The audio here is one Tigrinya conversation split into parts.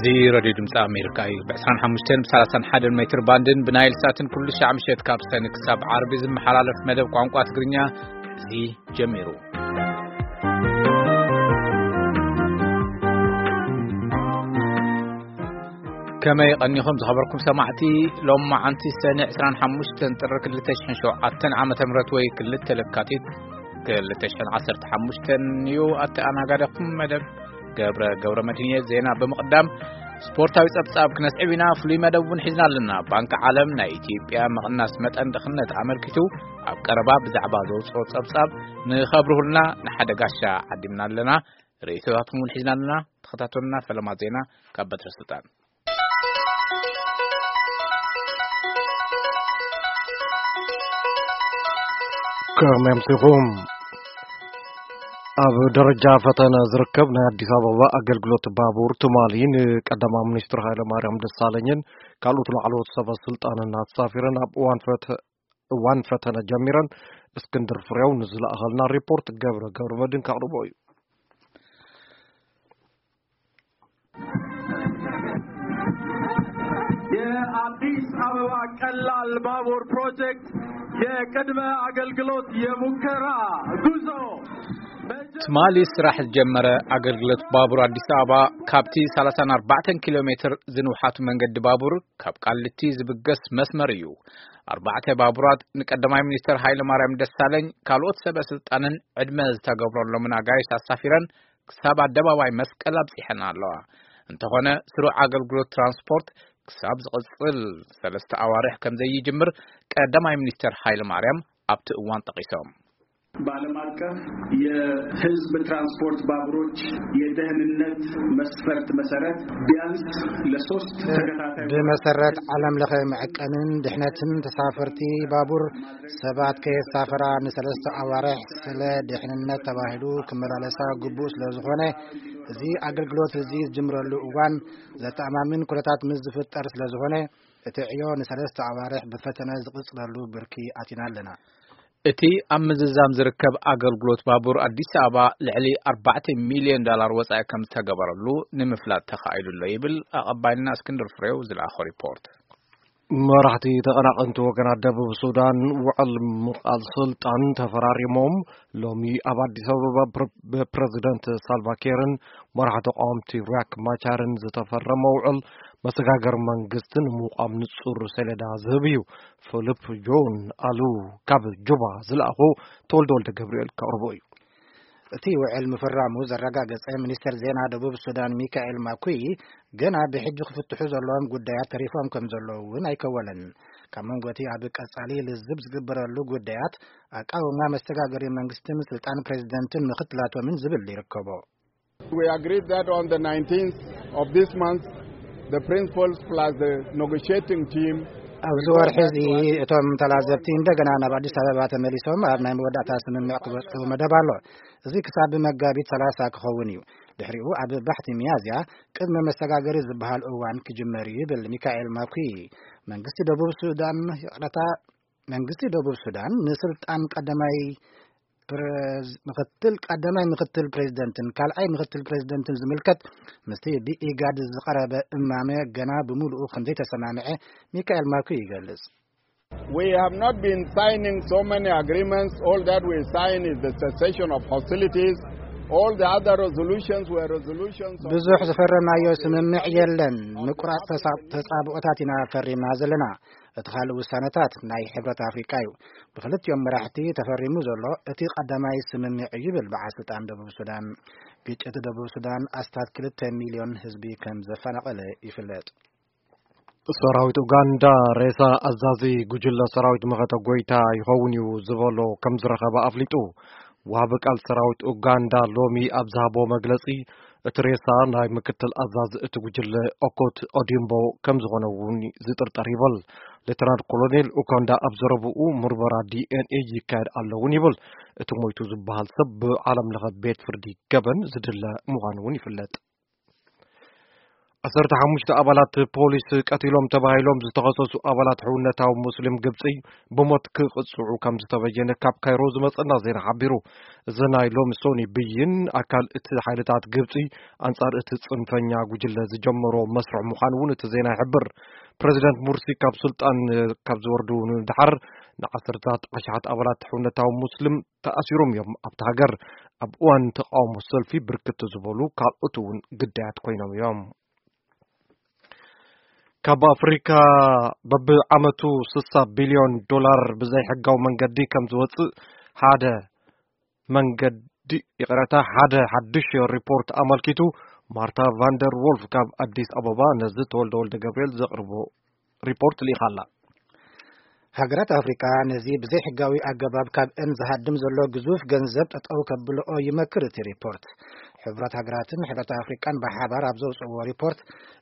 እዚ ሬድዮ ድምፂ ኣሜሪካ እዩ። ብ ዕስራን ሓሙሽተን ብ ሰላሳን ሓደን ሜትር ባንድን ብናይል ሳትን ኩሉ ሻዕ ምሸት ካብ ሰኒ ክሳብ ዓርቢ ዝመሓላለፍ መደብ ቋንቋ ትግርኛ እዚ ጀሚሩ። ከመይ ቀኒኹም ዝኸበርኩም ሰማዕቲ? ሎማዓንቲ ሰኒ ዕስራን ሓሙሽተን ጥሪ ክልተ ሽሕን ሸውዓተን ዓመተ ምህረት ወይ ክልተ ለካቲት ክልተ ሽሕን ዓሰርተ ሓሙሽተን እዩ። ኣተኣናጋዳኹም መደብ ገብረ፣ ገብረ መድህን እየ። ዜና ብምቕዳም ስፖርታዊ ጸብጻብ ክነስዕብ ኢና። ፍሉይ መደብ እውን ሒዝና ኣለና። ባንኪ ዓለም ናይ ኢትዮጵያ ምቕናስ መጠን ድኽነት ኣመልኪቱ ኣብ ቀረባ ብዛዕባ ዘውጽኦ ጸብጻብ ንኸብርሁልና ንሓደ ጋሻ ዓዲምና ኣለና። ርእይቶታትኩም እውን ሒዝና ኣለና። ተኸታተሉና። ፈለማ ዜና ካብ በትረ ስልጣን። ከመይ ኣምሲኹም? ኣብ ደረጃ ፈተነ ዝርከብ ናይ ኣዲስ ኣበባ ኣገልግሎት ባቡር ትማሊ ንቀዳማይ ሚኒስትር ሃይለ ማርያም ደሳለኝን ካልኦት ላዕለዎት ሰበ ስልጣንን ኣሳፊረን ኣብ እዋን ፈተ-፣ እዋን ፈተነ ጀሚረን። እስክንድር ፍሬው ንዝለኣኸልና ሪፖርት ገብረ ገብረ መድን ከቕርቦ እዩ። የአዲስ አበባ ቀላል ባቡር ፕሮጀክት የቅድመ አገልግሎት የሙከራ ጉዞ። ትማሊ ስራሕ ዝጀመረ ኣገልግሎት ባቡር ኣዲስ ኣበባ ካብቲ ሰላሳን ኣርባዕተን ኪሎ ሜትር ዝንውሓቱ መንገዲ ባቡር ካብ ቃሊቲ ዝብገስ መስመር እዩ። ኣርባዕተ ባቡራት ንቀዳማይ ሚኒስትር ሃይለ ማርያም ደሳለኝ ካልኦት ሰበ ስልጣንን ዕድመ ዝተገብረሎምን ኣጋይሽ ኣሳፊረን ክሳብ ኣደባባይ መስቀል ኣብጺሐን ኣለዋ። እንተኾነ ስሩዕ ኣገልግሎት ትራንስፖርት ክሳብ ዝቕጽል ሰለስተ ኣዋርሕ ከም ዘይጅምር ቀዳማይ ሚኒስትር ሃይለ ማርያም ኣብቲ እዋን ጠቒሶም። በዓለም አቀፍ የህዝብ ትራንስፖርት ባቡሮች የደህንነት መስፈርት መሰረት ቢያንስ ለሶስት ተከታታይ ብመሰረት ዓለም ለኸ መዐቀንን ድሕነትን ተሳፈርቲ ባቡር ሰባት ከየሳፈራ ንሰለስተ ኣዋርሕ ስለ ድሕንነት ተባሂሉ ክመላለሳ ግቡእ ስለ ዝኾነ፣ እዚ ኣገልግሎት እዚ ዝጅምረሉ እዋን ዘተኣማምን ኩነታት ምስ ዝፍጠር ስለ ዝኾነ፣ እቲ ዕዮ ንሰለስተ ኣዋርሕ ብፈተነ ዝቕጽለሉ ብርኪ ኣቲና ኣለና። እቲ ኣብ ምዝዛም ዝርከብ ኣገልግሎት ባቡር ኣዲስ ኣበባ ልዕሊ ኣርባዕተ ሚልዮን ዶላር ወጻኢ ከም ዝተገበረሉ ንምፍላጥ ተኻኢሉ ኣሎ ይብል ኣቐባይና እስክንድር ፍሬው ዝለኣኾ ሪፖርት። መራሕቲ ተቐናቐንቲ ወገናት ደቡብ ሱዳን ውዕል ምቓል ስልጣን ተፈራሪሞም። ሎሚ ኣብ ኣዲስ ኣበባ ብፕረ-፣ ብፕረዚደንት ሳልቫ ኪርን መራሒ ተቃወምቲ ሪያክ ማቻርን ዝተፈረመ ውዕል መሰጋገሪ መንግስቲ ንምቋም ንጹር ሰሌዳ ዝህብ እዩ። ፊሊፕ ጆን ኣሉ ካብ ጁባ ዝለኣኾ ተወልደ ወልደ ገብርኤል ከቕርቦ እዩ። እቲ ውዕል ምፍራሙ ዘረጋገጸ ሚኒስትር ዜና ደቡብ ሱዳን ሚካኤል ማኩይ፣ ገና ብሕጂ ክፍትሑ ዘለዎም ጉዳያት ተሪፎም ከም ዘለዉ እውን ኣይከወለን። ካብ መንጎ እቲ ኣብ ቀጻሊ ልዝብ ዝግበረሉ ጉዳያት ኣቃውማ መሰጋገሪ መንግስትን ስልጣን ፕሬዚደንትን ምክትላቶምን ዝብል ይርከቦ። We agreed that on the nineteenth of this month, the principals plus the negotiating team ኣብዚ ወርሒ እዚ እቶም ተላዘብቲ እንደገና ናብ ኣዲስ ኣበባ ተመሊሶም ኣብ ናይ መወዳእታ ስምምዕ ክበጽሑ መደብ ኣሎ። እዚ ክሳብ መጋቢት ሰላሳ ክኸውን እዩ። ድሕሪኡ ኣብ ባሕቲ ሚያዝያ ቅድመ መሰጋገሪ ዝበሃል እዋን ክጅመር እዩ ይብል ሚካኤል ማኩይ። መንግስቲ ደቡብ ሱዳን፣ ይቕረታ፣ መንግስቲ ደቡብ ሱዳን ንስልጣን ቀዳማይ ፕረዝ-፣ ምክትል፣ ቀዳማይ ምክትል ፕሬዚደንትን ካልኣይ ምክትል ፕሬዚደንትን ዝምልከት ምስቲ ብኢጋድ ዝቐረበ እማመ ገና ብምሉኡ ከም ዘይተሰማምዐ ሚካኤል ማኩይ ይገልጽ። We have not been signing so many agreements. All that we sign is the cessation of hostilities. All the other resolutions were resolutions of ብዙሕ ዝፈረምናዮ ስምምዕ የለን። ምቁራጽ ተሳ-፣ ተጻብኦታት ኢና ፈሪምና ዘለና። እቲ ካልእ ውሳነታት ናይ ሕብረት ኣፍሪቃ እዩ። ብክልቲኦም መራሕቲ ተፈሪሙ ዘሎ እቲ ቀዳማይ ስምምዕ እዩ ይብል በዓል ስልጣን ደቡብ ሱዳን። ግጭት ደቡብ ሱዳን ኣስታት ክልተ ሚልዮን ህዝቢ ከም ዘፈናቐለ ይፍለጥ። ሰራዊት ኡጋንዳ ሬሳ ኣዛዚ ጉጅለ ሰራዊት መኸተ ጎይታ ይኸውን እዩ ዝበሎ ከም ዝረኸበ ኣፍሊጡ። ወሃቢ ቃል ሰራዊት ኡጋንዳ ሎሚ ኣብ ዝሃቦ መግለጺ፣ እቲ ሬሳ ናይ ምክትል ኣዛዚ እቲ ጉጅለ ኦኮት ኦዲምቦ ከም ዝኾነ እውን ዝጥርጠር ይብል። ሌተናል ኮሎኔል ኡጋንዳ ኣብ ዘረብኡ፣ ምርመራ ዲ ኤን ኤ ይካየድ ኣሎ እውን ይብል። እቲ ሞይቱ ዝበሃል ሰብ ብዓለም ለኸ ቤት ፍርዲ ገበን ዝድለ ምዃኑ እውን ይፍለጥ። ዓሰርተ ሓሙሽተ ኣባላት ፖሊስ ቀቲሎም ተባሂሎም ዝተኸሰሱ ኣባላት ሕውነታዊ ሙስሊም ግብጺ ብሞት ክቕጽዑ ከም ዝተበየነ ካብ ካይሮ ዝመጸና ዜና ሓቢሩ። እዚ ናይ ሎሚ ሶኒ ብይን ኣካል እቲ ሓይልታት ግብጺ ኣንጻር እቲ ጽንፈኛ ጉጅለ ዝጀመሮ መስርሕ ምዃኑ እውን እቲ ዜና ይሕብር። ፕረዚደንት ሙርሲ ካብ ስልጣን ካብ ዝወርዱ ንድሓር ንዓሰርታት ኣሽሓት ኣባላት ሕውነታዊ ሙስሊም ተኣሲሮም እዮም ኣብቲ ሃገር። ኣብ እዋን ተቃውሞ ሰልፊ ብርክት ዝበሉ ካልኦት እውን ግዳያት ኮይኖም እዮም። ካብ ኣፍሪካ በብዓመቱ ስሳ ቢልዮን ዶላር ብዘይሕጋዊ መንገዲ ከም ዝወፅእ ሓደ መንገዲ ይቕረታ ሓደ ሓድሽ ሪፖርት ኣመልኪቱ። ማርታ ቫንደር ዎልፍ ካብ ኣዲስ ኣበባ ነዚ ተወልደ ወልደ ገብርኤል ዘቕርቦ ሪፖርት ልኢኻ ኣላ። ሃገራት ኣፍሪቃ ነዚ ብዘይሕጋዊ ኣገባብ ካብ እን ዝሃድም ዘሎ ግዙፍ ገንዘብ ጠጠው ከብልኦ ይመክር እቲ ሪፖርት። ሕብረት ሃገራትን ሕብረት ኣፍሪቃን ብሓባር ኣብ ዘውፅእዎ ሪፖርት፣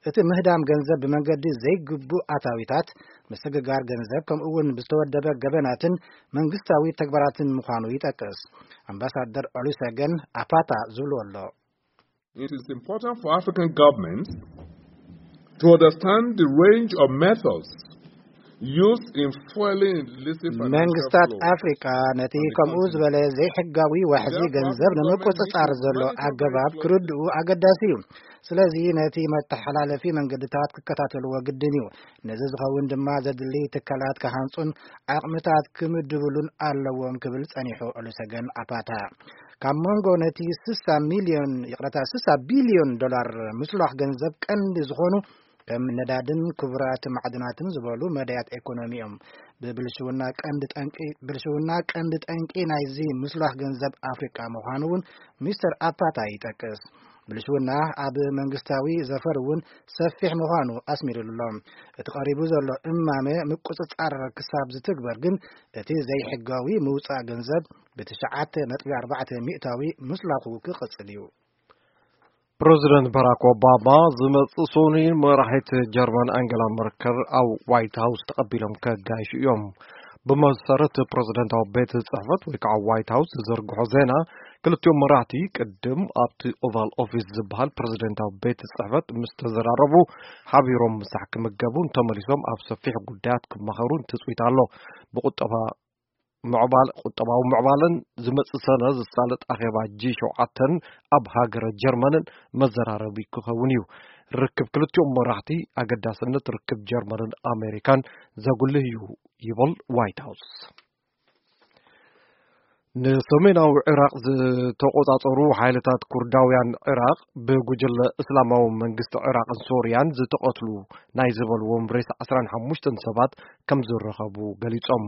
እቲ ምህዳም ገንዘብ ብመንገዲ ዘይግቡእ ኣታዊታት፣ ምስግጋር ገንዘብ፣ ከምኡ እውን ብዝተወደበ ገበናትን መንግስታዊ ተግባራትን ምዃኑ ይጠቅስ። ኣምባሳደር ኦሉሰገን ኣፓታ ዝብሉ ኣሎ። It is important for African governments to understand the range of methods used in fueling illicit financial መንግስታት flows. ኣፍሪቃ ነቲ ከምኡ ዝበለ ዘይሕጋዊ ዋሕዚ ገንዘብ ንምቁጽጻር ዘሎ ኣገባብ ክርድኡ ኣገዳሲ እዩ። ስለዚ ነቲ መተሓላለፊ መንገድታት ክከታተልዎ ግድን እዩ። ነዚ ዝኸውን ድማ ዘድሊ ትካላት ክሃንጹን ዓቕምታት ክምድብሉን ኣለዎም ክብል ጸኒሑ ኦሉሰገን ኣፓታ። ካብ መንጎ ነቲ ስሳ ሚልዮን ይቕረታ ስሳ ቢልዮን ዶላር ምስሏኽ ገንዘብ ቀንዲ ዝኾኑ ከም ነዳድን ክቡራት ማዕድናትን ዝበሉ መዳያት ኤኮኖሚ እዮም። ብብልሽውና ቀንዲ ጠንቂ ብልሽውና ቀንዲ ጠንቂ ናይዚ ምስሏኽ ገንዘብ ኣፍሪቃ ምዃኑ እውን ሚስተር ኣፓታ ይጠቅስ። ብልሽውና ኣብ መንግስታዊ ዘፈር እውን ሰፊሕ ምዃኑ ኣስሚሩሉ ኣሎ። እቲ ቀሪቡ ዘሎ እማመ ምቁጽጻር ክሳብ ዝትግበር ግን እቲ ዘይሕጋዊ ምውጻእ ገንዘብ ብትሽዓተ ነጥቢ ኣርባዕተ ሚእታዊ ምስላኹ ክቕጽል እዩ። ፕረዚደንት ባራክ ኦባማ ዝመጽእ ሶኒ መራሒት ጀርመን ኣንገላ መርከል ኣብ ዋይት ሃውስ ተቐቢሎም ከጋይሹ እዮም። ብመሰረት ፕረዚደንታዊ ቤት ጽሕፈት ወይ ከዓ ዋይት ሃውስ ዝዝርግሖ ዜና፣ ክልቲኦም መራሕቲ ቅድም ኣብቲ ኦቫል ኦፊስ ዝበሃል ፕረዚደንታዊ ቤት ጽሕፈት ምስ ተዘራረቡ ሓቢሮም ምሳሕ ክምገቡን ተመሊሶም ኣብ ሰፊሕ ጉዳያት ክመኸሩን ትጽቢት ኣሎ። ብቁጠባ ምዕባል ቁጠባዊ ምዕባለን ዝመጽእ ሰነ ዝሳለጥ ኣኼባ ጂ ሸውዓተን ኣብ ሃገረ ጀርመንን መዘራረቢ ክኸውን እዩ። ርክብ ክልቲኦም መራሕቲ ኣገዳስነት ርክብ ጀርመንን ኣሜሪካን ዘጉልህ እዩ ይብል ዋይት ሃውስ። ንሰሜናዊ ዕራቕ ዝተቆጻጸሩ ሓይልታት ኩርዳውያን ዕራቕ ብጉጅለ እስላማዊ መንግስቲ ዕራቕን ሶርያን ዝተቐትሉ ናይ ዝበልዎም ሬሳ ዓስራን ሓሙሽተን ሰባት ከም ዝረኸቡ ገሊጾም።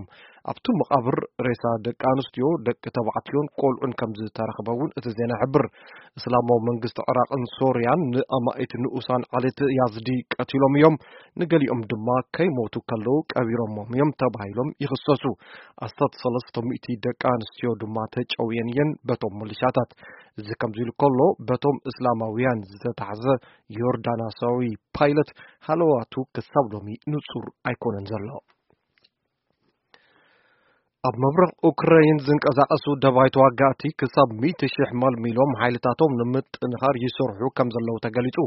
ኣብቲ መቓብር ሬሳ ደቂ ኣንስትዮ፣ ደቂ ተባዕትዮን ቆልዑን ከም ዝተረኽበ እውን እቲ ዜና ይሕብር። እስላማዊ መንግስቲ ዕራቕን ሶርያን ንኣማኢት ንኡሳን ዓሌት ያዝዲ ቀቲሎም እዮም። ንገሊኦም ድማ ከይሞቱ ከለዉ ቀቢሮሞም እዮም ተባሂሎም ይኽሰሱ። ኣስታት ሰለስተ ሚእቲ ደቂ ኣንስትዮ ድማ ተጨውየን እየን በቶም ሚሊሻታት። እዚ ከምዚ ኢሉ ከሎ፣ በቶም እስላማውያን ዝተታሕዘ ዮርዳናሳዊ ፓይለት ሃለዋቱ ክሳብ ሎሚ ንጹር ኣይኮነን ዘሎ። ኣብ ምብራቕ ኡክራይን ዝንቀሳቐሱ ደባይ ተዋጋእቲ ክሳብ ሚእቲ ሽሕ መልሚሎም ሓይልታቶም ንምጥንኻር ይሰርሑ ከም ዘለዉ ተገሊጹ።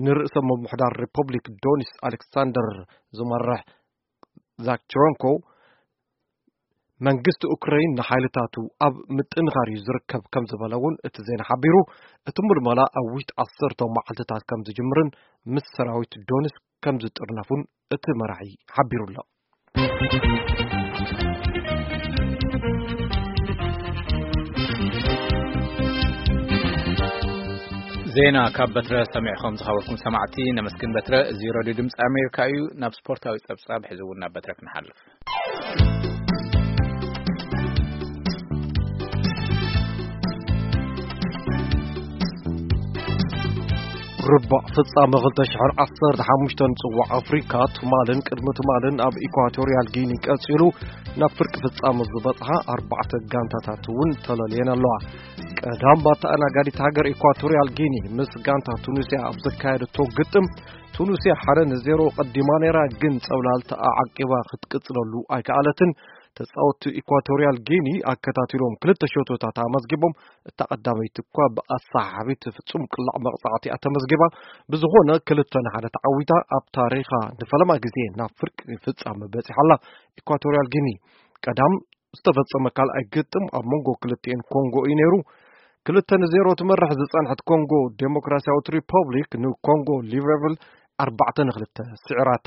ንርእሰ ምምሕዳር ሪፐብሊክ ዶኒስ ኣሌክሳንደር ዝመርሕ ዛክቸረንኮ፣ መንግስቲ ኡክራይን ንሓይልታቱ ኣብ ምጥንኻር እዩ ዝርከብ ከም ዝበለ እውን እቲ ዜና ሓቢሩ። እቲ ምልመላ ኣብ ውሽጢ ዓሰርተ መዓልትታት ከም ዝጅምርን ምስ ሰራዊት ዶንስክ ከም ዝጥርነፉን እቲ መራሒ ሓቢሩ ኣሎ። ዜና ካብ በትረ ሰሚዕኹም ዝኸበርኩም ሰማዕቲ ነመስግን በትረ። እዚ ሬድዮ ድምፂ ኣሜሪካ እዩ። ናብ ስፖርታዊ ጸብጻብ ሕዚ እውን ናብ በትረ ክንሓልፍ። ርባዕ ፍጻመ ክልተ ሽሕን ዓሰርተ ሓሙሽተን ጽዋዕ ኣፍሪካ ትማልን ቅድሚ ትማልን ኣብ ኢኳቶርያል ጊኒ ቀጺሉ ናብ ፍርቂ ፍጻመ ዝበጽሓ ኣርባዕተ ጋንታታት እውን ተለልየን ኣለዋ። ቀዳም ባተኣናጋዲት ሃገር ኢኳቶርያል ጊኒ ምስ ጋንታ ቱኒስያ ኣብ ዘካየደቶ ግጥም ቱኒስያ ሓደ ንዜሮ ቀዲማ ነይራ፣ ግን ጸብላልታ ኣዓቂባ ክትቅጽለሉ ኣይከኣለትን። ተጻወትቲ ኢኳቶርያል ጊኒ ኣከታቲሎም ክልተ ሸቶታት ኣመዝጊቦም፣ እታ ቀዳመይቲ እኳ ብኣሰሓሓቢት ፍጹም ቅላዕ መቕጻዕቲ እያ ተመዝጊባ። ብዝኾነ ክልተ ንሓደ ተዓዊታ ኣብ ታሪኻ ንፈለማ ግዜ ናብ ፍርቂ ፍጻመ በጺሓ ኣላ ኢኳቶርያል ጊኒ። ቀዳም ዝተፈጸመ ካልኣይ ግጥም ኣብ መንጎ ክልቲኤን ኮንጎ እዩ ነይሩ። ክልተ ንዜሮ ትመርሕ ዝጸንሐት ኮንጎ ዴሞክራሲያዊት ሪፐብሊክ ንኮንጎ ሊብረቪል ኣርባዕተ ንክልተ ስዒራታ።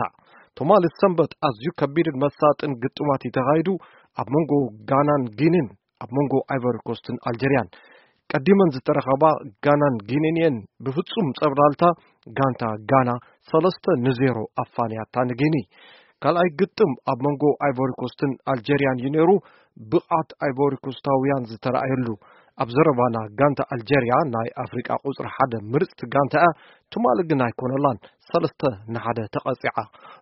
ትማሊ ሰንበት ኣዝዩ ከቢድን መሳጥን ግጥማት እዩ ተኻይዱ ኣብ መንጎ ጋናን ጊኒን፣ ኣብ መንጎ ኣይቨሪ ኮስትን ኣልጀርያን። ቀዲመን ዝተረኸባ ጋናን ጊኒን እየን ብፍጹም ጸብላልታ ጋንታ ጋና ሰለስተ ንዜሮ ኣፋንያታ ንጊኒ። ካልኣይ ግጥም ኣብ መንጎ ኣይቮሪ ኮስትን ኣልጀርያን እዩ ነይሩ፣ ብቕዓት ኣይቮሪ ኮስታውያን ዝተረኣየሉ። ኣብ ዘረባና ጋንታ ኣልጀርያ ናይ ኣፍሪቃ ቁጽሪ ሓደ ምርጽቲ ጋንታ እያ፣ ትማሊ ግን ኣይኮነላን፣ ሰለስተ ንሓደ ተቐጺዓ።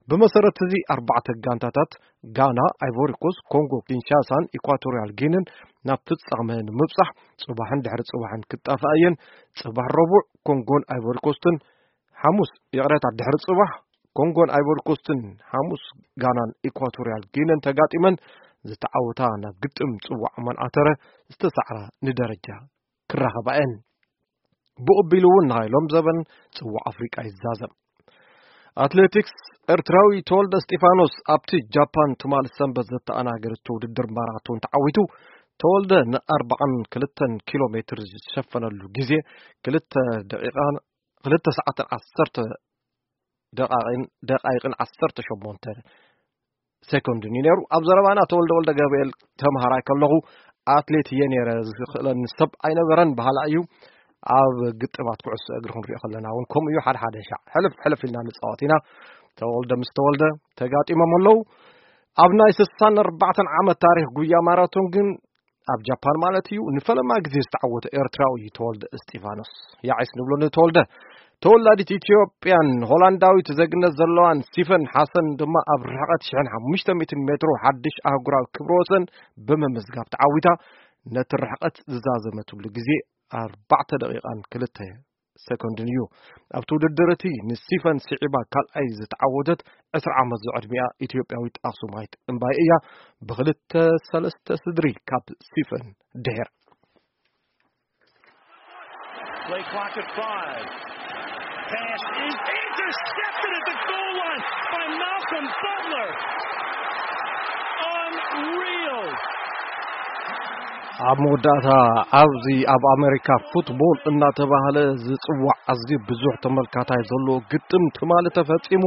ብመሰረት እዚ ኣርባዕተ ጋንታታት ጋና፣ ኣይቮሪ ኮስት፣ ኮንጎ ኪንሻሳን ኢኳቶርያል ጊንን ናብ ፍጻመ ንምብጻሕ ጽባሕን ድሕሪ ጽባሕን ክጣፋ እየን። ጽባሕ ረቡዕ ኮንጎን ኣይቮሪ ኮስትን ሓሙስ፣ ይቕረታ፣ ድሕሪ ጽባሕ ኮንጎን ኣይቮሪ ኮስትን፣ ሓሙስ ጋናን ኢኳቶርያል ጊነን ተጋጢመን ዝተዓወታ ናብ ግጥም ጽዋዕ መንዓተረ ዝተሳዕራ ንደረጃ ክራኸባ እየን። ብቕቢሉ እውን ናይ ሎም ዘበን ጽዋዕ ኣፍሪቃ ይዛዘም። ኣትሌቲክስ፣ ኤርትራዊ ተወልደ እስጢፋኖስ ኣብቲ ጃፓን ትማሊ ሰንበት ዘተኣናገደቶ ውድድር ማራቶን ተዓዊቱ። ተወልደ ንኣርባዓን ክልተን ኪሎ ሜትር ዝሸፈነሉ ግዜ ክልተ ደቂቓን ክልተ ሰዓትን ዓሰርተ ደቃይቅን፣ ደቃይቅን ዓሰርተ ሸሞንተ ሴኮንድን እዩ ነይሩ። ኣብ ዘረባና ተወልደ ወልደ ገብርኤል ተምሃራይ ከለኹ ኣትሌት እየ ነይረ፣ ዝኽእለኒ ሰብ ኣይነበረን በሃላ እዩ። ኣብ ግጥማት ኩዕሶ እግሪ ክንሪኦ ከለና እውን ከምኡ እዩ። ሓደ ሓደ ሻዕ ሕልፍ ሕልፍ ኢልና ንፃወት ኢና። ተወልደ ምስ ተወልደ ተጋጢሞም ኣለዉ። ኣብ ናይ ስሳን ኣርባዕተን ዓመት ታሪኽ ጉያ ማራቶን ግን ኣብ ጃፓን ማለት እዩ፣ ንፈለማ ግዜ ዝተዓወተ ኤርትራዊ እዩ ተወልደ እስጢፋኖስ። ያዒስ ንብሎ ንተወልደ። ተወላዲት ኢትዮጵያን ሆላንዳዊት ዜግነት ዘለዋን ሲፈን ሓሰን ድማ ኣብ ርሕቀት ሽሕን ሓሙሽተ ሚእትን ሜትሮ ሓድሽ ኣህጉራዊ ክብረ ወሰን ብምምዝጋብ ተዓዊታ። ነቲ ርሕቀት ዝዛዘመትሉ ግዜ ኣርባዕተ ደቂቃን ክልተ ሰኮንድን እዩ። ኣብቲ ውድድር እቲ ንሲፈን ስዒባ ካልኣይ ዝተዓወተት ዕስራ ዓመት ዝዕድሚኣ ኢትዮጵያዊት ኣኽሱማይት እምባይ እያ። ብኽልተ ሰለስተ ስድሪ ካብ ሲፈን ድሕር። Play clock at five. Pass is intercepted at the goal line by Malcolm Butler. Unreal. ኣብ መወዳእታ ኣብዚ ኣብ ኣሜሪካ ፉትቦል እናተባህለ ዝጽዋዕ ኣዝዩ ብዙሕ ተመልካታይ ዘለዎ ግጥም ትማሊ ተፈጺሙ።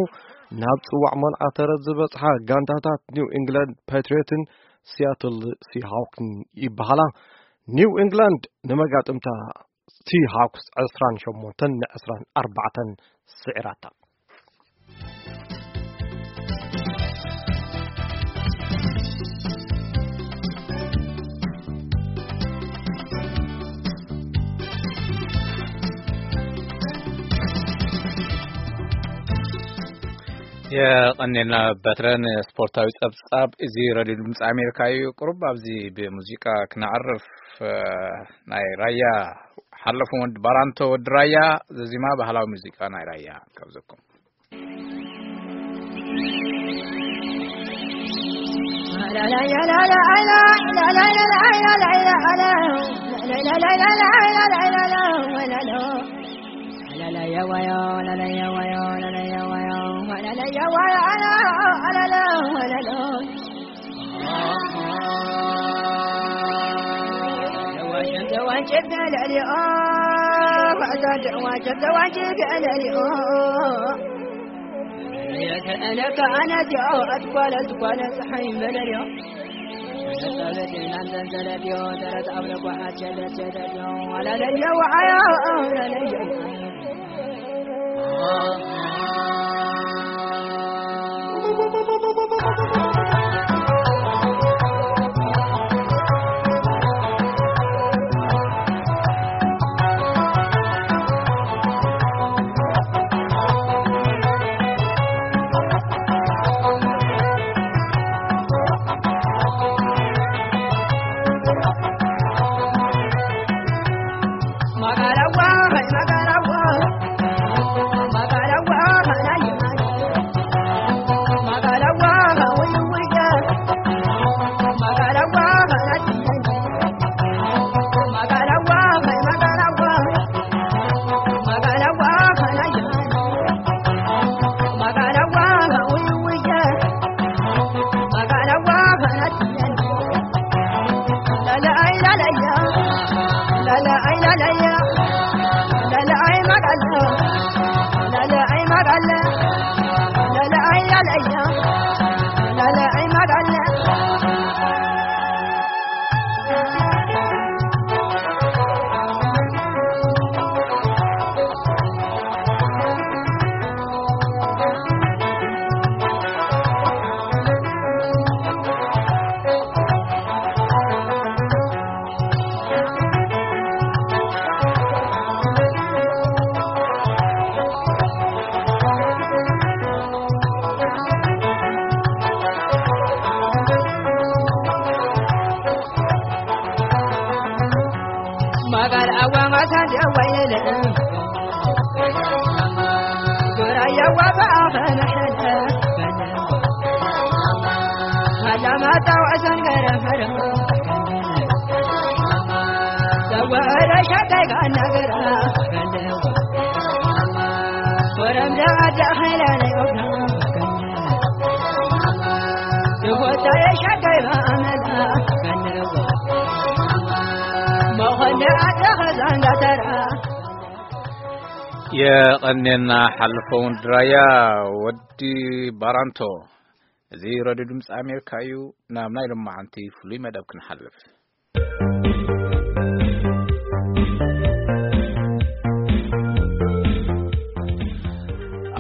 ናብ ጽዋዕ መንዓተረት ዝበጽሓ ጋንታታት ኒው ኢንግላንድ ፓትሪዮትን ሲያትል ሲሃውክን ይበሃላ። ኒው ኢንግላንድ ንመጋጥምታ ሲሃውክስ ዕስራን ሸሞንተን ንዕስራን ኣርባዕተን ስዒራታ። የቐኔልና በትረን ስፖርታዊ ጸብጻብ እዚ ረድዮ ድምፂ ኣሜሪካ እዩ። ቁሩብ ኣብዚ ብሙዚቃ ክነዕርፍ፣ እ፣ ናይ ራያ ሓለፉ ወዲ ባራንቶ ወዲ ራያ ዘዚማ ባህላዊ ሙዚቃ ናይ ራያ ካብዘኩም። የቐኔና ሓልፈውን ድራያ ወዲ ባራንቶ። እዚ ረድዮ ድምፂ ኣሜሪካ እዩ። ናብ ናይ ሎማዓንቲ ፍሉይ መደብ ክንሓልፍ።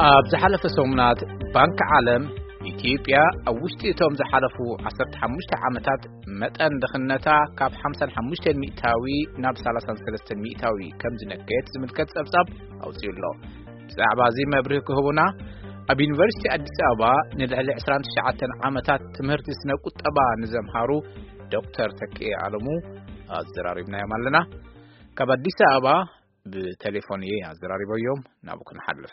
ኣብ ዝሓለፈ ሰሙናት ባንኪ ዓለም፣ ኢትዮጵያ ኣብ ውሽጢ እቶም ዝሓለፉ ዓሰርተ ሓሙሽተ ዓመታት መጠን ድኽነታ ካብ ሓምሳን ሓሙሽተን ሚእታዊ ናብ ሰላሳን ሰለስተን ሚእታዊ ከም ዝነከየት ዝምልከት ጸብጻብ ኣውጺኡ ኣሎ። ብዛዕባ እዚ መብርሂ ክህቡና፣ ኣብ ዩኒቨርሲቲ ኣዲስ ኣበባ ንልዕሊ ዕስራን ትሽዓተን ዓመታት ትምህርቲ ስነ ቁጠባ ንዘምሃሩ ዶክተር ተኪኤ ኣለሙ ኣዘራሪብናዮም ኣለና። ካብ ኣዲስ ኣበባ ብቴሌፎን እየ ኣዘራሪበዮም። ናብኡ ክንሓልፍ።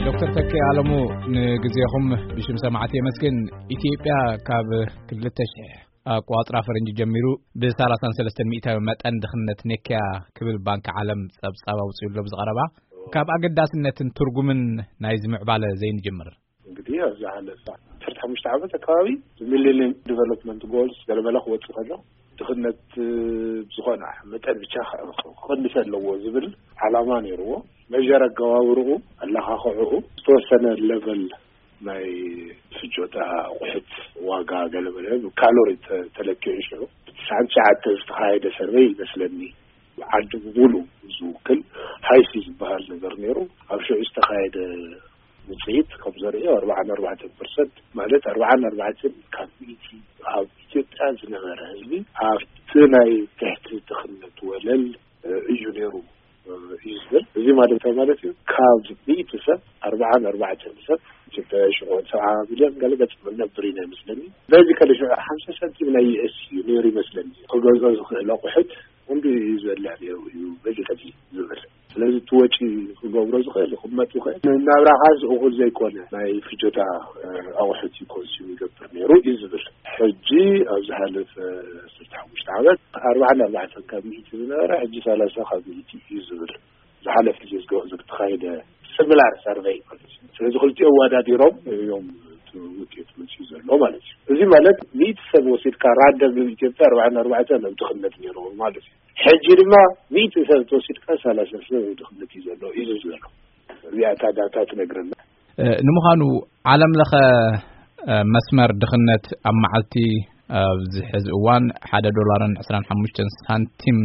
ዶክተር ተኪኤ ኣለሙ፣ ንግዜኹም ብሽም ሰማዕቲ የመስግን። ኢትዮጵያ ካብ ክልተ ሽሕ ኣቆጻጽራ ፈረንጂ ጀሚሩ ብ ሰላሳን ሰለስተን ሚእታዊ መጠን ድኽነት ነክያ ክብል ባንኪ ዓለም ጸብጻብ ኣውጺኡ ኣሎ ብዝቐረባ። ካብ ኣገዳስነትን ትርጉምን ናይዚ ምዕባለ ዘይንጅምር። እንግዲህ ኣብ ዝሓለፈ ዓሰርተ ሓሙሽተ ዓመት ኣካባቢ ሚሌኒየም ዲቨሎፕመንት ጎልስ ገለመለ ክወጽእ ከሎ ድኽነት ብዝኾነ መጠን ብቻ ክቕንስ ኣለዎ ዝብል ዓላማ ነይርዎ። መጀር ኣገባብርኡ፣ ኣለኻኽዕኡ፣ ዝተወሰነ ሌቨል ናይ ፍጆታ ኣቑሑት ዋጋ ገለመለ ብካሎሪ ተ-፣ ተለኪዑ ሽዑ ብትስዓን ትሽዓተ ዝተኻየደ ሰርቨይ ይመስለኒ ዓዲ ብሙሉ ዝውክል ሃይሲ ዝበሃል ነገር ነይሩ። ኣብ ሽዑ ዝተኻየደ ውፅኢት ከም ዘርእዮ ኣርባዓን ኣርባዕተን ፐርሰንት ማለት ኣርባዓን ኣርባዕተን ካብ ሚእቲ ኣብ ኢትዮጵያ ዝነበረ ህዝቢ ኣብቲ ናይ ትሕቲ ድኽነት ወለል እዩ ነይሩ እዩ ዝብል። እዚ ማለት እንታይ ማለት እዩ? ካብ ሚእቲ ሰብ ኣርባዓን ኣርባዕተን ሰብ ኢትዮጵያ ሽዑ ሰብዓ ሚልዮን ገለ ገጽ ነብር ኢና ይመስለኒ። በዚ ከለ ሽዑ ሓምሳ ሳንቲም ናይ ዩኤስ እዩ ነይሩ ይመስለኒ። ክገዝኦ ዝኽእል ኣቑሑት ክንዲ እዩ ዝበልዕ ነይሩ እዩ በዚ ከዚ ዝብል። ስለዚ እቲ ወጪ ክገብሮ ዝኽእል ክመጥ ይኽእል። ናብራኻስ እኹል ዘይኮነ ናይ ፍጆታ ኣቑሑት እዩ ኮንሱም ይገብር ነይሩ እዩ ዝብል። ሕጂ ኣብ ዝሓለፈ ዓሰርተ ሓሙሽተ ዓመት ኣርባዓን ኣርባዕተን ካብ ሚእቲ ዝነበረ ሕጂ ሰላሳ ካብ ሚእቲ እዩ ዝብል። ዝሓለፈ ግዜ ዝገ-፣ ዝተኻየደ ሲሚላር ሰርቨይ ማለት እዩ። ስለዚ ክልቲኦም ኣወዳዲሮም እዮም እቲ ውጤት መፅዩ ዘሎ ማለት እዩ። እዚ ማለት ሚእቲ ሰብ ወሲድካ ራንደም ኢትዮጵያ ኣርባዓን ኣርባዕተን ኣብ ድኽነት ነይርዎ ማለት እዩ። ሕጂ ድማ ሚእቲ ሰብ ተወሲድካ ሰላሳ ሰብ ኣብ ድኽነት እዩ ዘሎ እዩ ዝብል ዘሎ። እዚኣ እታ ዳታ ትነግረና። እ፣ ንምዃኑ ዓለም ለኸ፣ እ፣ መስመር ድኽነት ኣብ መዓልቲ ኣብዚ ሕዚ እዋን ሓደ ዶላርን ዕስራን ሓሙሽተን ሳንቲም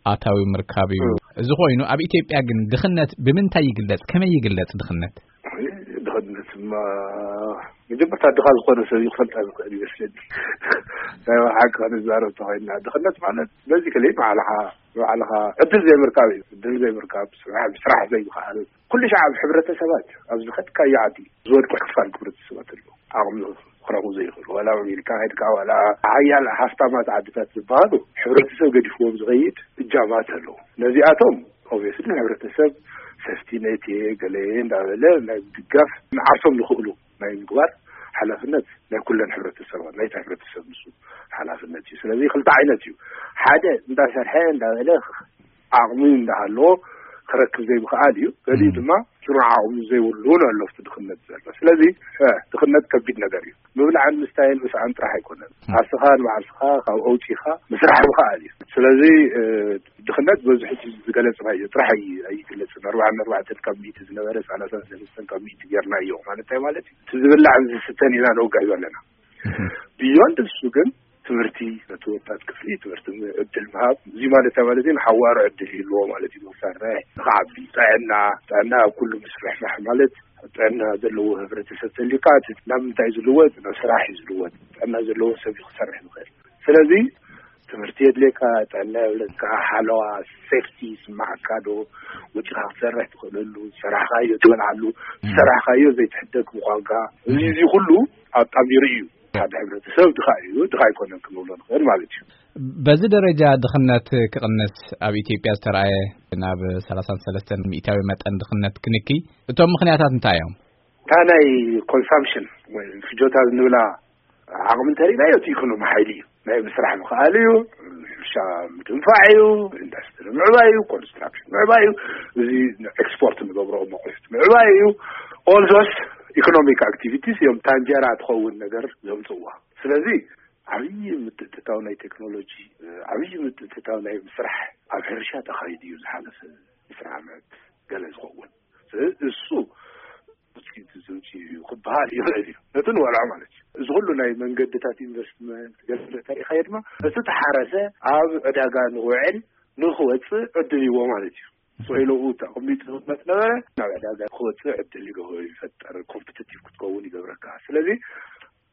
ኣታዊ ምርካብ እዩ። እ። እዚ ኮይኑ ኣብ ኢትዮጵያ ግን ድኽነት ብምንታይ ይግለጽ? ከመይ ይግለጽ ድኽነት? ድኽነትማ መጀመርታ ድኻ ዝኾነ ሰብ ይፈልጣ ዝኽእል ይመስለኒ። ናይ ሓቂ ክንዛረብ ተኾይንና ድኽነት ማለት በዚ ከለይ ባዕልኻ፣ ባዕልኻ ዕድል ዘይምርካብ እዩ። ዕድል ዘይምርካብ፣ ስራሕ፣ ስራሕ ዘይምኽኣል፣ ኩሉ ሻዕ ኣብ ሕብረተሰባት ኣብ ዝኸድካዮ ዓዲ ዝወድቁ ክፋል ሕብረተሰባት ኣለዉ። ዓቕሚ ክረኽቡ ዘይኽእሉ፣ ዋላ ኣሜሪካ ከድካ፣ ዋላ ሓያል ሃፍታማት ዓድታት ዝበሃሉ ሕብረተሰብ ገዲፍዎም ዝኸይድ እጃማት ኣለዉ። ነዚኣቶም ኦብቪየስሊ ሕብረተሰብ ሰፍቲ ኔት እየ ገለ እንዳበለ ናይ ድጋፍ ንዓርሶም ዝኽእሉ ናይ ምግባር ሓላፍነት ናይ ኩለን ሕብረተሰባት፣ ናይታ ሕብረተሰብ ንሱ ሓላፍነት እዩ። ስለዚ ክልተ ዓይነት እዩ። ሓደ እንዳሰርሐ እንዳበለ ዓቕሚ እንዳሃለዎ ክረክብ ዘይምኽኣል እዩ። ገሊኡ ድማ ስሩዕ ዓቕሚ ዘይብሉ ኣሎ ኣብቲ ድኽነት ዘሎ። ስለዚ፣ እ፣ ድኽነት ከቢድ ነገር እዩ። ምብላዕን ምስታይን ምስዓን ጥራሕ ኣይኮነን። ም። ዓርስኻ ንባዕርስኻ ካብ ኣውፂኻ ምስራሕ ምኽኣል እዩ። ስለዚ፣ እ፣ ድኽነት በዚ ሕጂ ዝገለፅናዮ ጥራሕ ኣይ-፣ ኣይግለፅን። ኣርባዓን ኣርባዕተን ካብ ሚእቲ ዝነበረ ሰላሳን ሰለስተን ካብ ሚእቲ ጌርናዮ ማለት እንታይ ማለት እዩ? እቲ ዝብላዕን ዝስተን ኢና ነውግዕ ዘለና። እህ። ብዮንድ እሱ ግን ትምህርቲ ነቲ ወጣት ክፍሊ ትምህርቲ ዕድል ምሃብ፣ እዚ ማለት እንታይ ማለት እዩ? ንሓዋሩ ዕድል ይህልዎ ማለት እዩ። መሳርሒ ንኽዓቢ፣ ጥዕና፣ ጥዕና ኣብ ኩሉ ምስፍሕፋሕ ማለት ጥዕና ዘለዎ ሕብረተሰብ ተልዩካ፣ እቲ ናብ ምንታይ እዩ ዝልወጥ? ናብ ስራሕ እዩ ዝልወጥ። ጥዕና ዘለዎ ሰብ እዩ ክሰርሕ ዝኽእል። ስለዚ ትምህርቲ የድልየካ፣ ጥዕና የብለካ፣ ሓለዋ፣ ሴፍቲ ይስማዓካ ዶ? ወፂኻ ክትሰርሕ ትኽእለሉ፣ ዝሰራሕካዮ ትበልዓሉ፣ እም። ዝሰራሕካዮ ዘይትሕደግ ምዃንካ፣ እዚ፣ እዚ ኩሉ ኣጣሚሩ እዩ። ሓደ ሕብረተሰብ ድኻ እዩ፣ ድኻ ኣይኮነን ክንብሎ ንኽእል ማለት እዩ። በዚ ደረጃ ድኽነት ክቕንስ ኣብ ኢትዮጵያ ዝተረኣየ ናብ ሰላሳን ሰለስተን ሚእታዊ መጠን ድኽነት ክንኪ እቶም ምኽንያታት እንታይ እዮም? እታ ናይ ኮንሳምፕሽን ወይ ፍጆታ ንብላ ዓቕሚ እንተሪእናዮ እቲ ኢኮኖሚ ሓይሊ እዩ። ናይ ምስራሕ ምኽኣል እዩ፣ ሕርሻ ምድንፋዕ እዩ፣ ኢንዱስትሪ ምዕባይ እዩ፣ ኮንስትራክሽን ምዕባይ እዩ፣ እዚ ኤክስፖርት ንገብሮ መቑሕት ምዕባይ እዩ። ኦልዞስ ኢኮኖሚክ ኣክቲቪቲስ እዮም ታንጀራ ትኸውን ነገር ዘምፅዋ። ስለዚ ዓብዪ ምትእትታው ናይ ቴክኖሎጂ፣ ዓብዪ ምትእትታው ናይ ምስራሕ ኣብ ሕርሻ ተኻይዱ እዩ ዝሓለፈ ዕስራ ዓመት ገለ ዝኸውን። ስለዚ እሱ ውፅኢት ዝምፅእ እዩ ክበሃል ይኽእል እዩ። ነቲ ንበልዖ ማለት እዩ። እዚ ኩሉ ናይ መንገድታት ኢንቨስትመንት ገለ ተሪእኻዮ ድማ እቲ ተሓረሰ ኣብ ዕዳጋ ንክውዕል ንክወፅእ ዕድል ይዎ ማለት እዩ። ሶይለኡ ተቐሚጡ ዝቕመጥ ነበረ ናብ ዕዳጋ ክወፅእ ዕድል ይገ- ይፈጠር፣ ኮምፒቲቲቭ ክትከውን ይገብረካ። ስለዚ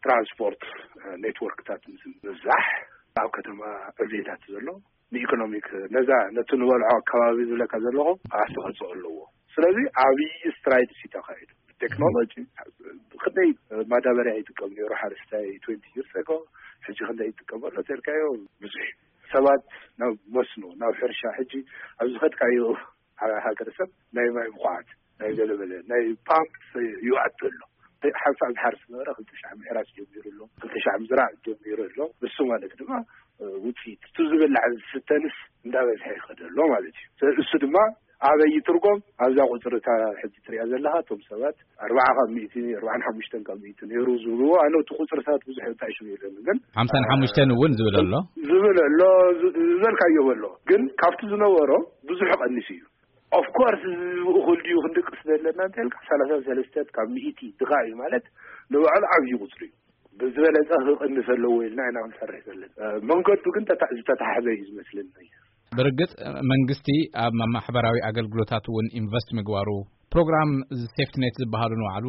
ትራንስፖርት ኔትወርክታት ምብዛሕ ኣብ ከተማ ዕብየታት ዘሎ ንኢኮኖሚክ ነዛ ነቲ ንበልዖ ኣካባቢ ዝብለካ ዘለኹ ኣስተዋፅኦ ኣለዎ። ስለዚ ዓብዪ ስትራይድ ሲ ተኻይዱ ቴክኖሎጂ ክንደይ ማዳበርያ ይጥቀም ነይሩ ሓረስታይ ትወንቲ ይርስ ኣጎ፣ ሕጂ ክንደይ ይጥቀመሉ ተልካዮ ብዙሕ ሰባት ናብ መስኖ ናብ ሕርሻ ሕጂ ኣብ ዝኸድካዮ ሃ- ሃገረሰብ ናይ ማይ ምኹዓት ናይ ገለበለ ናይ ፓምፕ ይውዓት ኣሎ። ሓንሳብ ዝሓርስ ነበረ ክልተ ሺሕ ምሕራስ ጀሚሩ ኣሎ፣ ክልተ ሺሕ ምዝራእ ጀሚሩ ኣሎ። እሱ ማለት ድማ ውፅኢት እቲ ዝብላዕ ዝስተንስ እንዳበዝሐ ይኸደ ኣሎ ማለት እዩ። እሱ ድማ ኣበይ ይትርጎም ኣብዛ ቁፅሪ እታ ሕጂ ትሪኣ ዘለኻ እቶም ሰባት ኣርባዓ ካብ ሚእቲ ኣርባዓን ሓሙሽተን ካብ ሚእቲ ነይሩ ዝብልዎ ኣነ እቲ ቁፅርታት ብዙሕ እንታይ ሽም የለን ግን ሓምሳን ሓሙሽተን እውን ዝብል ኣሎ። ዝብል ኣሎ ዝ- ዝበልካዮ ኣሎ ግን ካብቲ ዝነበሮ ብዙሕ ቀኒሱ እዩ። ኦፍኮርስ እዚ እኹል ድዩ ክንድቅስ ዘለና እንተልካ ሰላሳ ሰለስተ ካብ ሚእቲ ድኻ እዩ ማለት ንባዕሉ ዓብዪ ቁፅሪ እዩ። ብዝበለፀ ክቕንስ ኣለዎ ኢልና ኢና ክንሰርሕ ዘለና። መንገዱ ግን ተታ- ዝተታሕዘ እዩ ዝመስለኒ። ብርግጽ መንግስቲ ኣብ ማሕበራዊ ኣገልግሎታት እውን ኢንቨስት ምግባሩ ፕሮግራም ሴፍትኔት ዝበሃሉ ንባዕሉ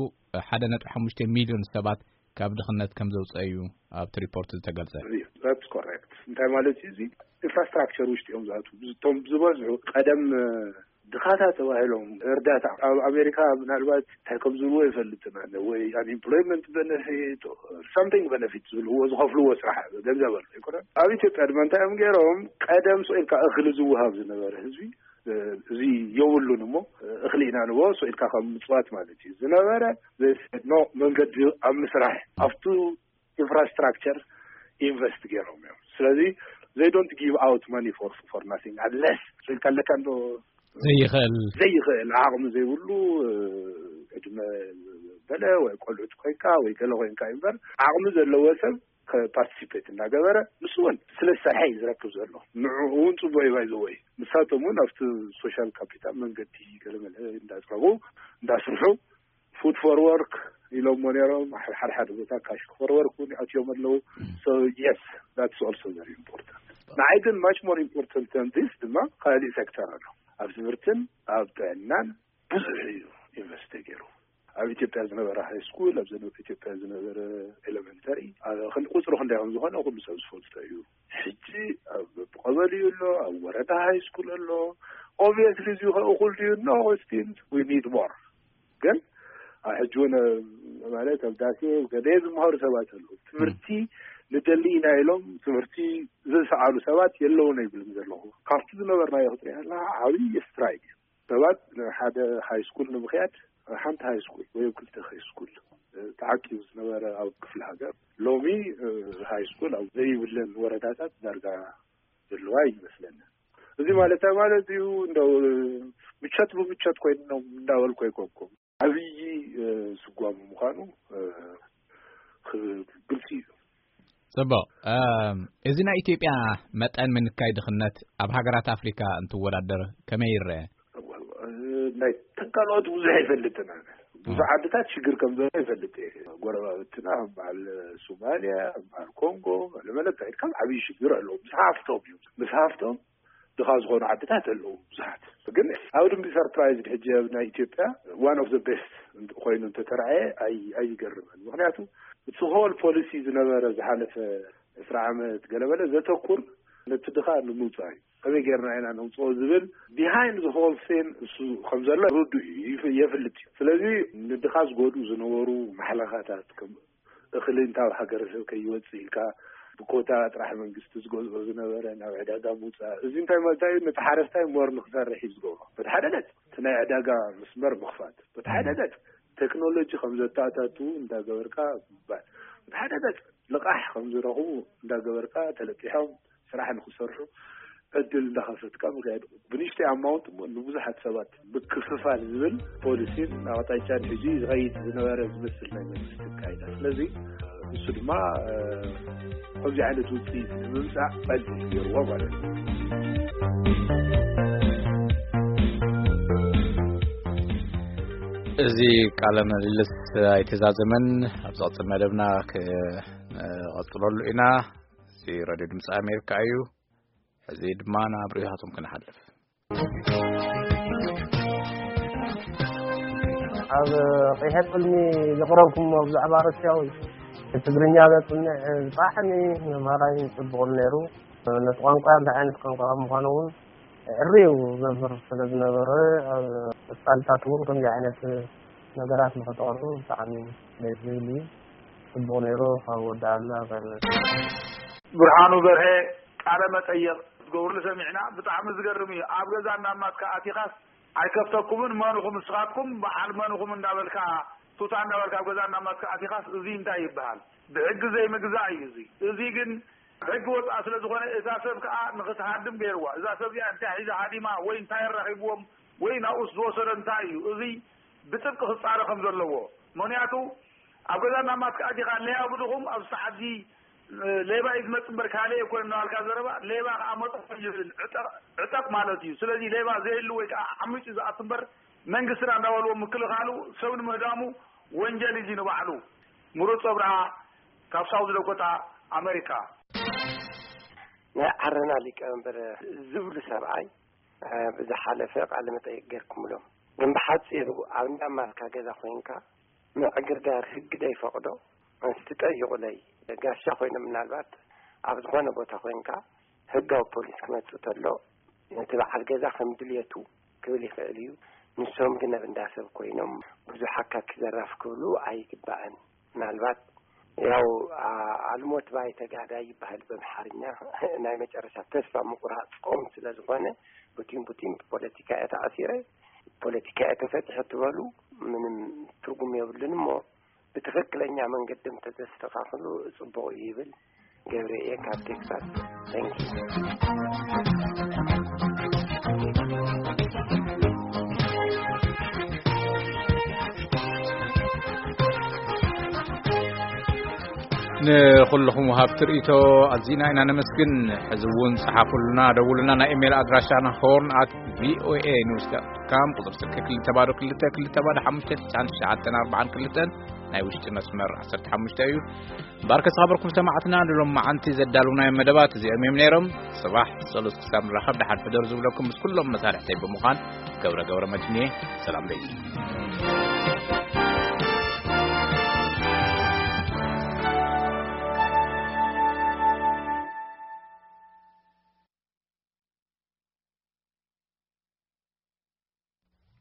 ሓደ ነጥቢ ሓሙሽተ ሚልዮን ሰባት ካብ ድኽነት ከም ዘውፀ እዩ ኣብቲ ሪፖርት ዝተገልጸ። That's correct። እንታይ ማለት እዩ እዚ? ኢንፍራስትራክቸር ውሽጢ እዮም ዝኣትዉ። እቶም ዝበዝሑ ቀደም ድኻታት ተባሂሎም እርዳታ ኣብ ኣሜሪካ ምናልባት እንታይ ከም ዝብልዎ ይፈልጥን ኣነ ወይ ኣንኤምፕሎይመንት በነፊት ሳምቲንግ በነፊት ዝብልዎ ዝኸፍልዎ ስራሕ ገንዘብ ኣሎ ኣይኮነን። ኣብ ኢትዮጵያ ድማ እንታይ እዮም ገይሮም ቀደም ስቕ ኢልካ እኽሊ ዝወሃብ ዝነበረ ህዝቢ እዚ የብሉን እሞ እኽሊ ኢና ንቦ ስቕ ኢልካ ካብ ምፅዋት ማለት እዩ ዝነበረ ኖ መንገዲ ኣብ ምስራሕ ኣብቱ ኢንፍራስትራክቸር ኢንቨስት ገይሮም እዮም። ስለዚ they don't give out money for for nothing unless ስልካ ኣለካ እንዶ ዘይኽእል ዘይኽእል ዓቕሚ ዘይብሉ ዕድመ በለ ወይ ቆልዑት ኮይንካ ወይ ገለ ኮይንካ እዩ እምበር ዓቕሚ ዘለዎ ሰብ ፓርቲሲፔት እናገበረ ንሱ እውን ስለ ዝሰርሐ እዩ ዝረክብ ዘሎ። ንዕኡ እውን ፅቡቅ እዩ ባይዘወይ ንሳቶም እውን ኣብቲ ሶሻል ካፒታል መንገዲ ገለመለ እንዳፅረቡ እንዳስርሑ ፉድ ፎር ወርክ ኢሎሞ ነይሮም ሓደ ሓደ ቦታ ካሽ ፎር ወርክ እውን ኣትዮም ኣለዉ። So yes, that's also very important። ንዓይ ግን much more important than this ድማ ካልእ ሴክተር ኣሎ ኣብ ትምህርትን ኣብ ጥዕናን ብዙሕ እዩ ኢንቨስት ተገይሩ ኣብ ኢትዮጵያ ዝነበረ ሃይ ስኩል ኣብ ዘነበ ኢትዮጵያ ዝነበረ ኤሌመንተሪ ክንዲ ቁፅሩ ክንደይ ከም ዝኾነ ኩሉ ሰብ ዝፈልጦ እዩ። ሕጂ ኣብ ቀበሌ ኣሎ ኣብ ወረዳ ሃይ ስኩል ኣሎ። Obviously እዚ ከእኹል ድዩ? No, still we need more። ግን ሕጂ እውን ማለት ኣብ ዳሴ ገለ ዝምሃሩ ሰባት ኣለዉ። ትምህርቲ ንደሊ ኢና ኢሎም ትምህርቲ ዝሰኣሉ ሰባት የለውን ኣይብልን ዘለኹ። ካብቲ ዝነበርናዮ ክትሪኣ ኣለኻ ዓብዪ ስትራይክ እዩ። ሰባት ንሓደ ሃይ ስኩል ንምኽያድ ሓንቲ ሃይ ስኩል ወይ ኣብ ክልተ ሃይ ስኩል ተዓቂቡ ዝነበረ ኣብ ክፍለ ሃገር ሎሚ ሃይ ስኩል ኣብ ዘይብለን ወረዳታት ዳርጋ ዘለዋ ይመስለኒ። እዚ ማለት ማለት እዩ እንደው ምቸት ብምቸት ኮይኖም እንዳበልኩ ኣይኮንኩም። ዓብዪ ስጓሙ ምዃኑ ግልፂ እዩ። ፅቡቕ። እዚ ናይ ኢትዮጵያ መጠን ምንካይ ድኽነት ኣብ ሃገራት ኣፍሪካ እንትወዳደር ከመይ ይረአ? ናይ ተንካልኦት ብዙሕ ይፈልጥን ኣነ ብዙሕ ዓድታት ሽግር ከም ዘሎ ይፈልጥ እየ። ጎረባብትና ከም በዓል ሶማልያ ከም በዓል ኮንጎ ለመለካ ኢድካ ዓብዪ ሽግር ኣለዎ። ምስ ሃፍቶም እዩ ምስ ሃፍቶም ድኻ ዝኾኑ ዓድታት ኣለዉ ብዙሓት። ግን ኣብ ድምቢ ሰርፕራይዝ ሕጂ ኣብ ናይ ኢትዮጵያ one of the best ኮይኑ እንተተረኣየ ኣይገርምን። ምክንያቱ እቲ ሆል ፖሊሲ ዝነበረ ዝሓለፈ ዕስራ ዓመት ገለበለ ዘተኩር ነቲ ድኻ ንምውፃእ እዩ። ከመይ ጌርና ኢና ነውፅኦ ዝብል ቢሃይንድ ሆል ሴን እሱ ከም ዘሎ ርዱ እዩ የፍልጥ እዩ። ስለዚ ንድኻ ዝጎድኡ ዝነበሩ ማሕለኻታት እኽሊ እንታብ ሃገረሰብ ከይወፅእ ኢልካ ብኮታ ጥራሕ መንግስቲ ዝገዝኦ ዝነበረ ናብ ዕዳጋ ምውፃእ፣ እዚ እንታይ ማለት እዩ? ነቲ ሓረስታይ ሞር ንክሰርሕ እዩ ዝገብሮ። በቲ ሓደ ገፅ እቲ ናይ ዕዳጋ መስመር ምኽፋት፣ በቲ ሓደ ገፅ ቴክኖሎጂ ከም ዘተኣታትዉ እንዳገበርካ ምባል፣ በቲ ሓደ ገፅ ልቓሕ ከም ዝረኽቡ እንዳገበርካ ተለቂሖም ስራሕ ንክሰርሑ ዕድል እንዳኸፈትካ ምክያድ፣ ብንሽተይ ኣማውንት እሞ ንብዙሓት ሰባት ምክፍፋል ዝብል ፖሊሲን ኣቕጣጫን ሕጂ ዝኸይድ ዝነበረ ዝመስል ናይ መንግስቲ ኣካይዳ። ስለዚ እሱ ድማ ከምዚ ዓይነት ውፅኢት ንምምፃእ ዕድል ገይርዎ ማለት እዩ። እዚ ቃለ ምልልስ ኣይተዛዘመን፣ ኣብ ዝቐፅል መደብና ክቐፅለሉ ኢና። እዚ ሬድዮ ድምፂ ኣሜሪካ እዩ። ሕዚ ድማ ናብ ርእይቶታቶም ክንሓልፍ። ኣብ ቀይሐ ቅልሚ ዘቕረብኩሞ ብዛዕባ ሩስያዊ ትግርኛ ዘጽንዕ ብጣዕሚ መምሃራይ ጽቡቕ ነይሩ። ነቲ ቋንቋ እንታይ ዓይነት ቋንቋ ምዃኑ እውን ዕርዩ ዘምህር ስለ ዝነበረ ኣብ ቀጻልታት እውን ከምዚ ዓይነት ነገራት ንኸተቕርቡ ብጣዕሚ ደስ ዝብል እዩ። ጽቡቕ ነይሩ። ካብ ወዳእና በል። ብርሃኑ በርሀ ቃለ መጠየቕ ክትገብርሉ ሰሚዕና። ብጣዕሚ ዝገርም እዩ። ኣብ ገዛ እንዳማትካ ኣቲኻስ ኣይከፍተኩምን፣ መን ኢኹም ንስኻትኩም፣ በዓል መን ኢኹም እንዳበልካ፣ ቱታ እንዳበልካ ኣብ ገዛ እንዳማትካ ኣቲኻስ፣ እዚ እንታይ ይበሃል? ብሕጊ ዘይምግዛእ እዩ እዚ። እዚ ግን ሕጊ ወፃእ ስለ ዝኾነ፣ እዛ ሰብ ከዓ ንኽትሃድም ገይርዋ። እዛ ሰብ እዚኣ እንታይ ሒዛ ሃዲማ ወይ እንታይ ኣራኺብዎም ወይ ናብኡስ ዝወሰዶ እንታይ እዩ? እዚ ብጥብቂ ክፃረ ከም ዘለዎ። ምኽንያቱ ኣብ ገዛ እናማትካ ኣቲኻ ለያቡ ድኹም ኣብዚ ሰዓት እዚ ሌባ እዩ ዝመጽእ እምበር ካልእ ኣይኮነን እናበልካ ዘረባ፣ ሌባ ከዓ መጠኾ ይብል ዕጠቕ ማለት እዩ። ስለዚ ሌባ ዘይህሉ ወይ ከዓ ዓሚጹ ዝኣቱ እምበር መንግስትና እንዳበልዎ ምክልኻሉ ሰብ ንምህዳሙ ወንጀል እዩ ንባዕሉ። ምሩፅ ኣብርሃ ካብ ሳውዝ ዳኮታ ኣመሪካ። ናይ ዓረና ሊቀመንበር ዝብሉ ሰብኣይ ብዝሓለፈ ቃለ መጠይቅ ገርኩምሎም ግን ብሓፂሩ ኣብ እንዳማልካ ገዛ ኮይንካ ምዕግርጋር ህግ ዶ ይፈቕዶ? እስቲ ጠይቑለይ። ጋሻ ኮይኖም ምናልባት ኣብ ዝኾነ ቦታ ኮይንካ ህጋዊ ፖሊስ ክመፅእ ተሎ ነቲ በዓል ገዛ ከም ድልየቱ ክብል ይኽእል እዩ። ንሶም ግን ኣብ እንዳሰብ ኮይኖም ብዙሕ ኣካኪ ዘራፍ ክብሉ ኣይግባእን። ምናልባት ያው ኣልሞት ባይ ተጋዳይ ይበሃል በምሓርኛ። ናይ መጨረሻ ተስፋ ምቁራፅ ቆም ስለ ዝኾነ ቡቲን ቡቲን ብፖለቲካ እየ ተኣሲረ፣ ፖለቲካ እየ ተፈትሐ ትበሉ ምንም ትርጉም የብሉን። እሞ ብትኽክለኛ መንገዲ እንተዘስተኻኽሉ ፅቡቕ እዩ ይብል። ገብረ እየ ካብ ቴክሳስ። Thank you። ንኹልኹም ወሃብቲ ርእይቶ ኣዚና ኢና ነመስግን። ሕዚ እውን ጸሓፉልና፣ ደውሉና። ናይ ኢሜይል ኣድራሻና ሆርን ኣት ቪኦኤ ኒውስ ዳት ካም፣ ቁጽሪ ስልኪ ክልተ ባዶ ክልተ ክልተ ባዶ ሓሙሽተ ትሽዓን ትሽዓተን ኣርባዓን ክልተን፣ ናይ ውሽጢ መስመር ዓሰርተ ሓሙሽተ እዩ። ባርከ ዝኸበርኩም ሰማዕትና፣ ንሎም መዓንቲ ዘዳልውናዮም መደባት እዚኦም እዮም ነይሮም። ጽባሕ ጸሎት ክሳብ ንራኸብ ደሓን ሕደሩ ዝብለኩም ምስ ኩሎም መሳርሕተይ ብምዃን ገብረ ገብረ መድህን እየ። ሰላም ለይት።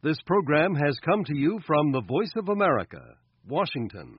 This program has come to you from the Voice of America, Washington.